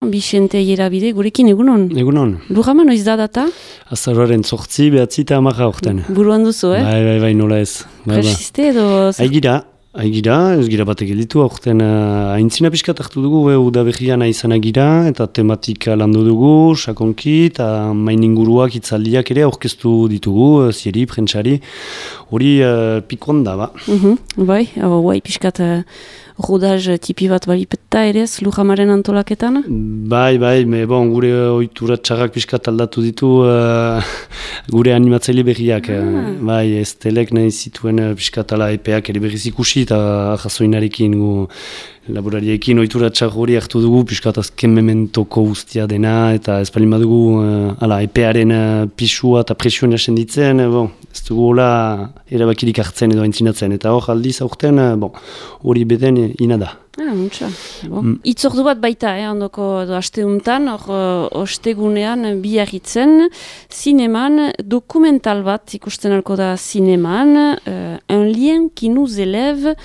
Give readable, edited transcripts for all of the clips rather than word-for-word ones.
Bixente Ierabide, gurekin egunon? Egunon. Lujama noiz da data? Azaroaren 8, 9 eta 10 aurten. Buruan duzu, Bai, nola ez. Presiste edo... Aigira, ez gira batek editu, aurten aintzina pixkat hartu dugu, udaberrian izan agira, eta tematika landu dugu, sakonki, eta main inguruak itzaldiak ere aurkeztu ditugu, zieri, prentsari, hori pikoan da, ba. Bai, pixkat rodaz tipi bat balipetta ere, Lujamaren antolaketan? Bai, gure ohitura txarrak pixkat aldatu ditu gure animatzaile berriak. Bai, ez telek nahi zituen pixkat ala epeak ere berriz ikusi, eta jasoinarekin laborariekin ohitura txar hori hartu dugu, pixkat azken mementoko guztia dena, eta ez palin badugu epearen pisua eta presioa senditzen, ez dugu hola erabakirik hartzen edo aintzinatzen, eta hor aldiz aurten hori beden ina da. Itzordu bat baita, ondoko asteuntan, ostegunean biarritzen, zineman, dokumental bat ikusten alko da zineman, un lien qui nous élève,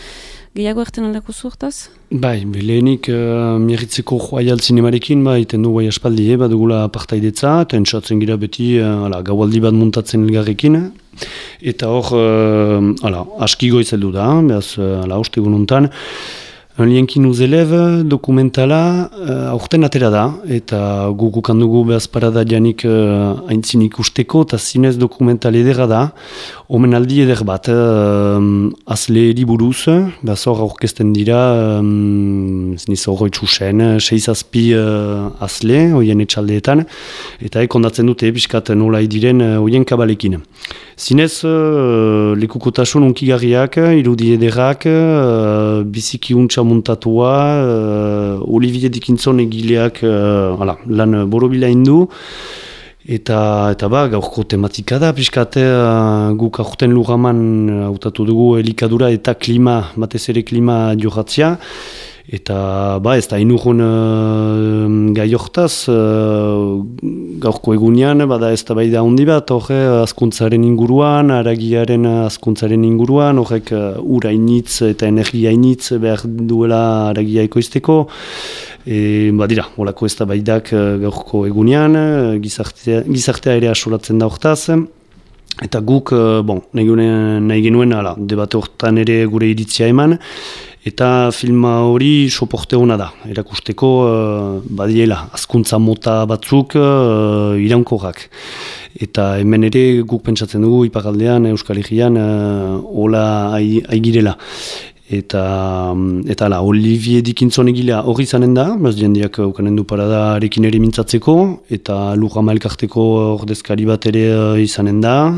gehiago erten aldako zuurtaz? Bai, lehenik miarritzeko joaial zinemarekin, iten du bai aspaldi, dugula partaidetza, eta entzatzen gira beti gaualdi bat muntatzen elgarrekin, eta hor, aski goizeldu da, behaz, ostegun hontan, un lien qui nous élève dokumentala aurten atera da, eta gugukan dugu behaz parada janik aintzin ikusteko, eta zinez dokumental edera da, omenaldi eder bat, azle eriburuz, behaz hor aurkezten dira, ziniz horroi txusen, 6-7 azle, hoien etxaldeetan, eta ondatzen dute piskat nola diren hoien kabalekin. Zinez, lekukotasun unkigarriak, irudi ederrak, biziki untxa muntatua, Olivier Dickinson egileak lan borobila indu, eta gaurko tematika da, pixkate guk aurten Lujaman hautatu dugu elikadura eta klima, batez ere klima johatzia, eta ez da inurun gai hortaz, gaurko egunean, ez da bai da hondi bat, azkuntzaren inguruan, aragiaren azkuntzaren inguruan, horrek ura initz eta energia initz behar duela aragia ekoizteko, dira, holako ez da bai dak gaurko egunean, gizartea ere asolatzen da hortaz, eta guk, nahi genuen, debate hortan ere gure iritzia eman, eta filma hori soporte hona da, erakusteko badiela, azkuntza mota batzuk iraunkorrak. Eta hemen ere guk pentsatzen dugu iparaldean, Euskal Herrian, hola aigirela. Eta Olivier Dickinson egilea hori izanen da, jendeak ukanen du parada arekin ere mintzatzeko, eta Lujama elkarteko ordezkari bat ere izanen da,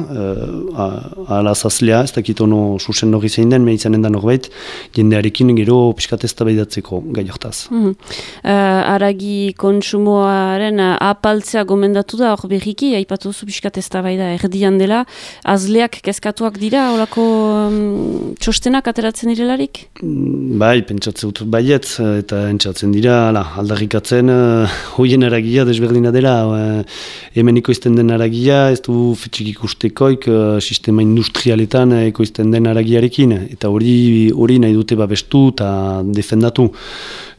alazazlea, ez dakit ono susen hori zein den, izanen da norbait, jendearekin gero pixkat eztabaidatzeko gai hortaz. Aragi kontsumoaren apaltzea gomendatu da, hor berriki, aipatu zu pixkat eztabaida erdian dela, azleak kezkatuak dira, horako txostenak ateratzen direla? Bai, pentsatzen dut baiet, eta entzatzen dira, aldarrikatzen, hoien aragia desberdina dela, hemen ekoizten den aragia, ez du fetxik ikustekoik, sistema industrialetan ekoizten den aragiarekin, eta hori nahi dute babestu eta defendatu.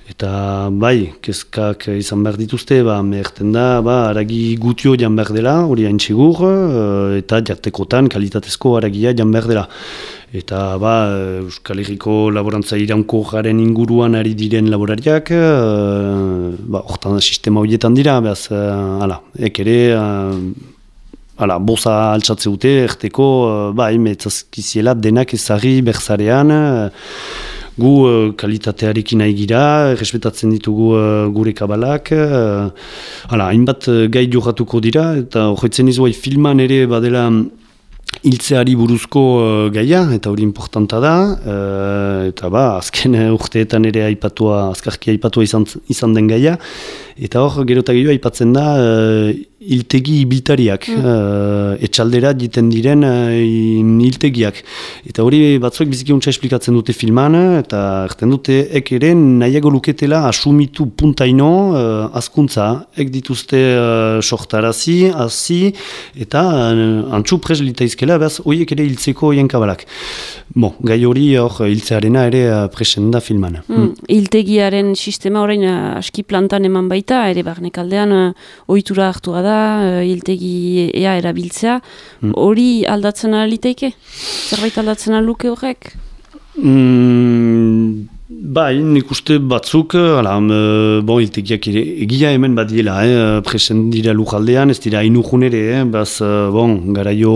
Eta bai, kezkak izan behar dituzte, meherten da, aragi gutio jan behar dela, hori hain txigur, eta jartekotan kalitatezko aragia jan behar dela. Eta Euskal Herriko laborantza iraunko garen inguruan ari diren laborariak, hortan sistema horietan dira, behaz, ere, boza altsatze dute, erteko, metzazkiziela denak ezagri berzarean, gu kalitatearekin nahi gira, respetatzen ditugu gure kabalak, hainbat gai johatuko dira, eta horretzen izuai filman ere badela hiltzeari buruzko gaia, eta hori importanta da, eta azken urteetan ere azkarki aipatua izan den gaia, eta hor, gero eta gehiago aipatzen da, hiltegi ibiltariak, etxaldera jiten diren hiltegiak. Eta hori batzuek biziki untsa esplikatzen dute filman, eta erten dute ek ere nahiago luketela asumitu puntaino azkuntza, ek dituzte sohtarazi, hazi, eta antxu pres litaizkela, behaz horiek ere hiltzeko jenkabalak. Gai hori hiltzearena ere presen da filman. Hiltegiaren sistema orain aski plantan eman baita, ere barnekaldean ohitura hartua da, hiltegi ea erabiltzea, hori aldatzen aliteike? Zerbait aldatzen aluke horrek? Bai, nik uste batzuk, hiltegiak egia hemen badiela, presen dira lujaldean, ez dira inujun ere, garaio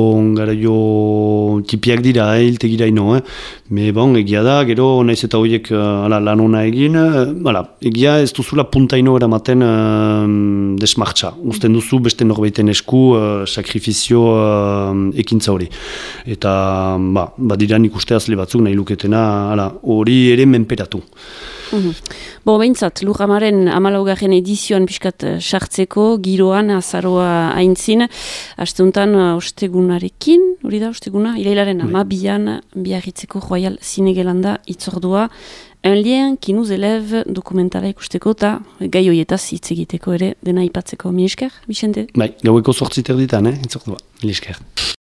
tipiak dira, hiltegira ino, egia da, gero naiz eta horiek lan ona egin, egia ez duzula puntaino eramaten desmartxa, usten duzu beste norbaiten esku sakrifizio ekintza hori. Eta badira nik uste azle batzuk nahi luketena, hori ere menperatu. Behintzat, Lujamaren 14. edizioan pixkat sartzeko, giroan, azaroa aintzin, asteuntan ostegunarekin, hori da, osteguna, irailaren 12an Biarritzeko Royal Zinegelanda itzordua, Un lien qui nous élève dokumentala ikusteko eta gai horietaz hitz egiteko ere dena ipatzeko. Mi esker, Vicente? Bai, gaueko 8 erditan, itzordua. Mi esker.